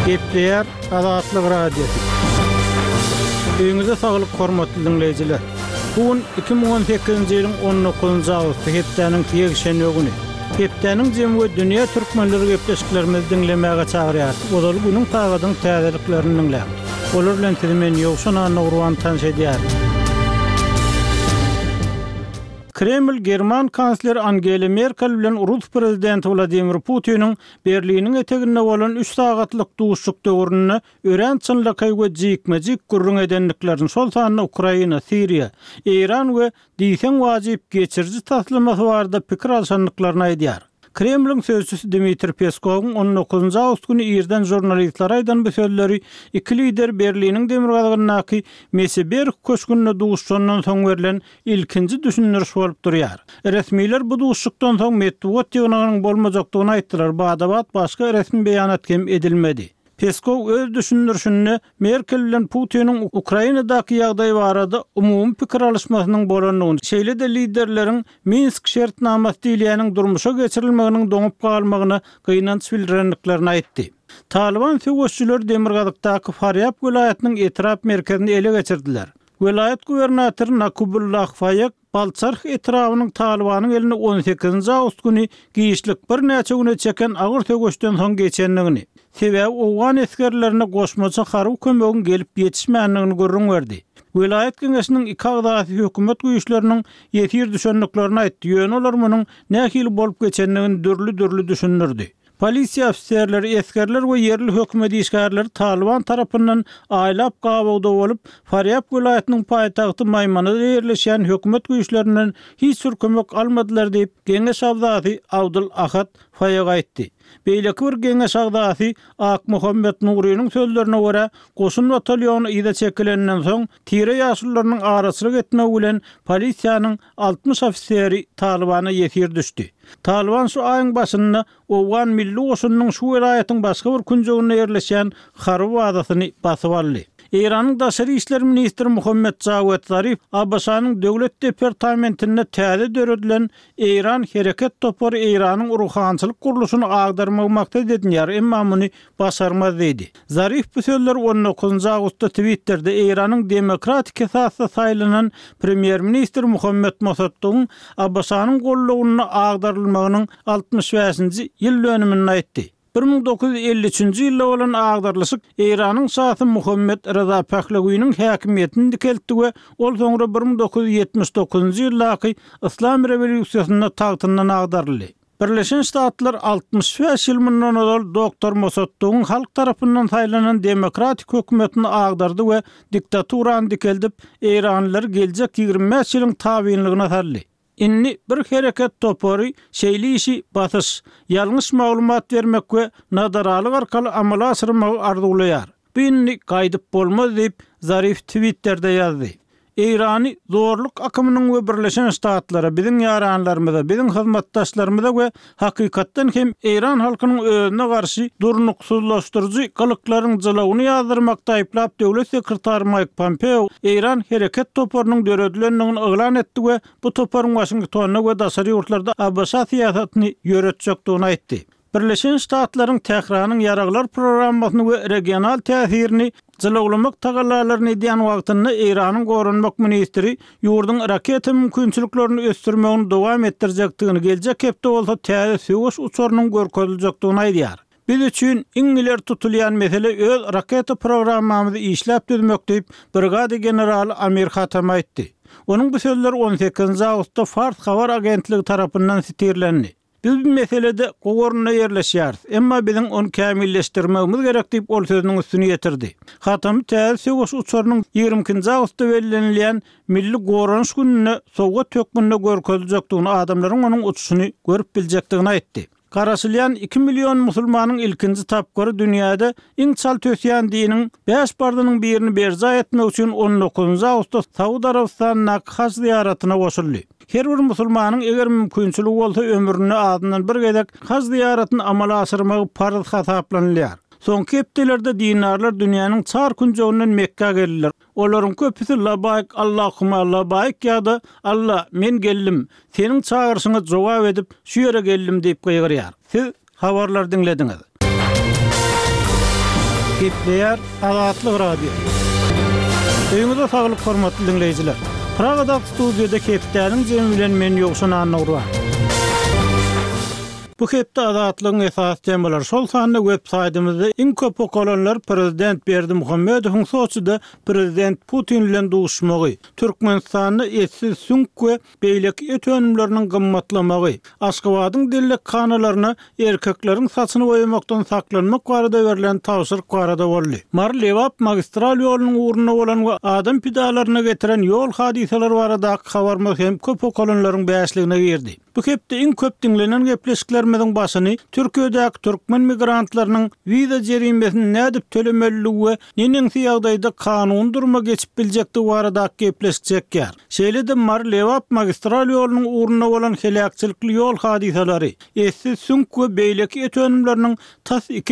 Gepleýär Azatlyk Radiosy. Öýüňize saglyk hormatly diňleýjiler. Bu gün 2018-nji ýylyň 19-njy awgusty hepdäniň ýekşenbe güni. Hepdäniň jemi we dünýä türkmenleri gepleşiklerimizi diňlemäge çagyrýarys. Ozaly günüň sagadyň täzeliklerini diňläň. Olar bilen sizi men Ýowşan Annagurban tanyş edýärin. Kreml german kansleri Angela Merkel bilen rus prezidenti Wladimir Putiniň Berliniň eteginde bolan üç sagatlyk duşuşyk döwründe örän çynlakaý we jikme-jik gürrüň edendiklerini, şol sanda Ukraina, Siriýa, Eýran we diýseň wajyp geçiriji taslamasy barada pikir alşandyklaryny aýdýar. Kremliň sözçüsi Dmitriý Peskowyň on dokuzynjy awgust güni irden žurnalistlere aýdan bu sözleri iki lider Berliniň demirgazygyndaky Meseberg köşgünde duşuşandan soň berlen ilkinji düşündiriş bolup durýar. Resmiler bu duşuşykdan soň metbugat ýygnagynyň bolmajakdygyny aýtdylar, bada-bat başga resmi beýanat hem edilmedi. Peskow öz düşündirişinde Merkel bilen Putiniň Ukrainadaky ýagdaý barada umumy pikir alyşmasynyň bolandygyny, şeýle-de liderleriň Minsk şertnamasy diýilýäniň durmuşa geçirilmeginiň doňup galmagyna gynanç bildirendiklerini aýtdy. Talyban söweşijileri demirgazykdaky Farýab welaýatynyň etrap merkezini ele geçirdiler. Welaýat gubernatory Nakubullah Faýek Balçarh etrabynyň Talybanyň eline on sekizinji awgust güni giçlik birnäçe güne çeken agyr söweşden soň geçendigini, sebäbi owgan esgerlerine goşmaça harby kömegiň gelip ýetişmändigini gürrüň berdi. Welaýat geňeşiniň iki agzasy hökümet güýçleriniň ýesir düşendiklerini aýtdy, ýöne olar munuň nähili bolup geçendigini dürli-dürli düşündirdi. Polisiýa ofiserleri, esgerler we ýerli hökümet işgärleri Talyban tarapyndan aýlap gabawda bolup, Farýab welaýatynyň paýtagty Maýmanada ýerleşýän hökümet güýçlerinden hiç bir kömek almadylar diýip, geňeş agzasy Abdul Ahad Faýag aýtdy. Beýleki bir geňeş agzasy Akmuhammet Nurynyň sözlerine görä, goşun batalýony yza çekilenden soň, tire ýaşulularynyň araçylyk etmegi bilen polisiýanyň 60 ofiseri Talybana ýesir düşdi. Talyban şu aýyň başynda owgan milli goşunynyň şu welaýatyň başga bir künjeginde ýerleşýän harby bazasyny basyp aldy. Eýranyň daşary işler ministri Muhammet Jawed Zarif ABŞ-nyň Döwlet departamentinde täze döredilen Eýran hereket topary Eýranyň ruhançylyk gurluşyny agdarmagy maksat edinýär, emma muny başarmaz diýdi. Zarif bu sözleri on dokuzynjy awgustda Twitterde Eýranyň demokratik esasda saýlanan premýer-ministri Muhammet Mossaddygyň ABŞ-nyň gollawynda agdarylmagynyň 65-nji ýyl dönüminde aýtdy. 1953-nji ýylda bolan agdarylyşyk Eýranyň şasy Muhammet Reza Pehlewiniň häkimiýetini dikeltdi we ol soňra 1979-njy ýyldaky Yslam rewolýusiýasynda tagtyndan agdaryldy. Birleşen Ştatlar 65 ýyl mundan ozal doktor Mossaddygyň halk tarapyndan saýlanan demokratik hökümetini agdardy we diktaturany dikeldip, eýranlylary geljek 25 ýylyň tabynlygyna saldy. Indi bir hereket topary şeýle işi basyş, ýalňyş maglumat bermek we nadaralyk arkaly amala aşyrmagy arzuwlaýar. Bu indi gaýdyp bolmaz diýip, Zarif Twitterde ýazdy. Eýrany zorluk akymynyň we Birleşen Ştatlara, biziň ýaranlarymyza, biziň hyzmatdaşlarymyza we hakykatdan hem eýran halkynyň özüne garşy durnuksyzlaşdyryjy gylyklaryň jylawyny ýazdyrmakda aýyplap döwlet sekretary Maýk Pompeo Eýran hereket toparynyň döredilendigini yglan etdi we bu toparyň Waşingtonda we daşary ýurtlarda ABŞ syýasatyny ýöretjekdigini aýtdy. Birleşen Ştatlaryň Tähranyň ýaraglar programmasyny we regional täsirini jylawlamak tagallalaryny edýän wagtynda Eýranyň goranmak ministri ýurduň raketa mümkinçiliklerini ösdürmegini dowam etdirjekdigini, geljek hepde bolsa täze söweş uçarynyň görkeziljekdigini aýdýar. Biz üçin iň ileri tutulýan mesele öz raketa programmamyzy işläp düzmek diýip, brigada generaly Amir Hatami aýtdy. Onuň bu sözleri on sekizinji awgustda Fars habar agentligi tarapyndan sitirlendi. Biz bu meselede gowy orunda ýerleşýäris, emma biziň ony kämilleşdirmegimiz gerek diýip, ol sözüniň üstüni ýetirdi. Hatamy täze söweş uçarynyň 22 nji awgustda bellenilýän Milli goranyş gününde sowgat hökmünde görkeziljekdigini, adamlaryň onuň uçuşyny görüp biljekdigini aýtdy. Garaşylýan iki million musulmanyň ilkinji tapgyry dünýäde iň çalt ösýän diniň bäş parzynyň birini berjaý etmek üçin on dokuzynjy awgustda Saud Arabystanyndaky haj zyýaratyna goşuldy. Her bir musulmanyň eger mümkinçiligi bolsa ömründe azyndan bir gezek haj zyýaratyny amala aşyrmagy parz hasaplanylýar. Soňky hepdelerde dindarlar dünýäniň çar künjeginden Mekgä geldiler. Olaryň köpüsi Labaýk Allahuma labaýk ýa-da Alla, men geldim, Seniň çagyryşyňa jogap edip, şu ýere geldim diýip gygyrýar. Siz habarlary diňlediňiz. Gepleýär Azatlyk Radiosy. Öýüňize saglyk hormatly diňleýjiler. Pragadaky studiýada hepdäniň jemi bilen men Ýowşan Annagurban. Bu hepde Azatlygyň esasy temalary, şol sanda web saýtymyzda iň köp okalanlar prezident Berdimuhamedowyň Soçide prezident Putin bilen duşuşmagy, Türkmenistanda etsiz süňk we beýleki et önümleriniň gymmatlamagy, Aşgabadyň dellekhanalaryna erkekleriň saçyny boýamakdan saklanmak barada berlen tabşyryk barada boldy. Mary-Lebap magistral ýolunyň ugrunda bolan we adam pidalaryna getiren ýol hadysalary baradaky habarymyz hem köp okalanlaryň bäşligine girdi. Bu hepde iň köp diňlenen gepleşiklerimiziň başyny Türkiýedäki türkmen migrantlarynyň wiza jerimesini nädip tölemelidigi we neneňsi ýagdaýda kanuny duruma geçip biljekdigi baradaky gepleşik çekýär. Şeýle-de Mary-Lebap magistral ýolunyň ugrunda bolan heläkçilikli ýol hadysalary, etsiz süňk we beýleki et önümleriniň tas iki.